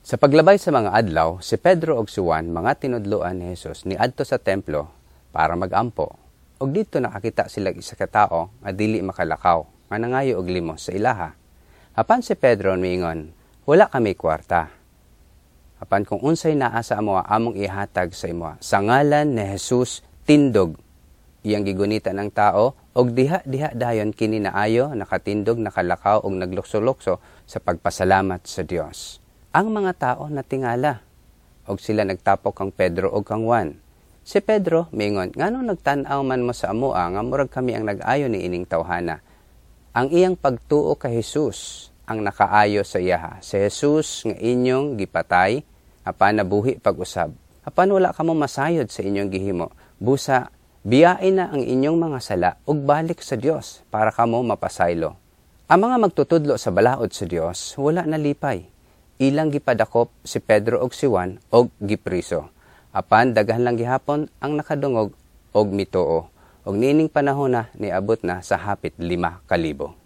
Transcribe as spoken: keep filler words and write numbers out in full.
Sa paglabay sa mga adlaw, si Pedro ug si Juan, mga tinudloan ni Jesus, niadto sa templo para magampo. Ug didto nakakita sila isa ka tawo nga dili makalakaw, nga nangayo og limos sa ilaha. Apan si Pedro miingon, "Wala kami kwarta. Apan kung unsay naa sa amoa, among ihatag sa imo. Sa ngalan ni Jesus, tindog." Iyang gigunita ang tao og diha-diha dayon kini naayo, nakatindog, nakalakaw og naglukso-lukso sa pagpasalamat sa Dios. Ang mga tao natingala og sila nagtapok kang Pedro og kang Juan. Si Pedro miingon, "Ngano nagtan-aw man mo sa amoa nga murag kami ang nag-ayo ni ining tawhana?" Ang iyang pagtuo kay Jesus ang nakaayo sa iyaha. Si Jesus nga inyong gipatay, apan nabuhi pag-usab. Apan wala kamo masayod sa inyong gihimo. Busa, biyain na ang inyong mga sala ug balik sa Dios para kamo mapasaylo. Ang mga magtutudlo sa balaod sa Dios wala nalipay. Ilang gipadakop si Pedro og si Juan og gipriso. Apan daghan lang gihapon ang nakadungog og mituo. Og niining panahon na niabot na sa hapit lima kalibo.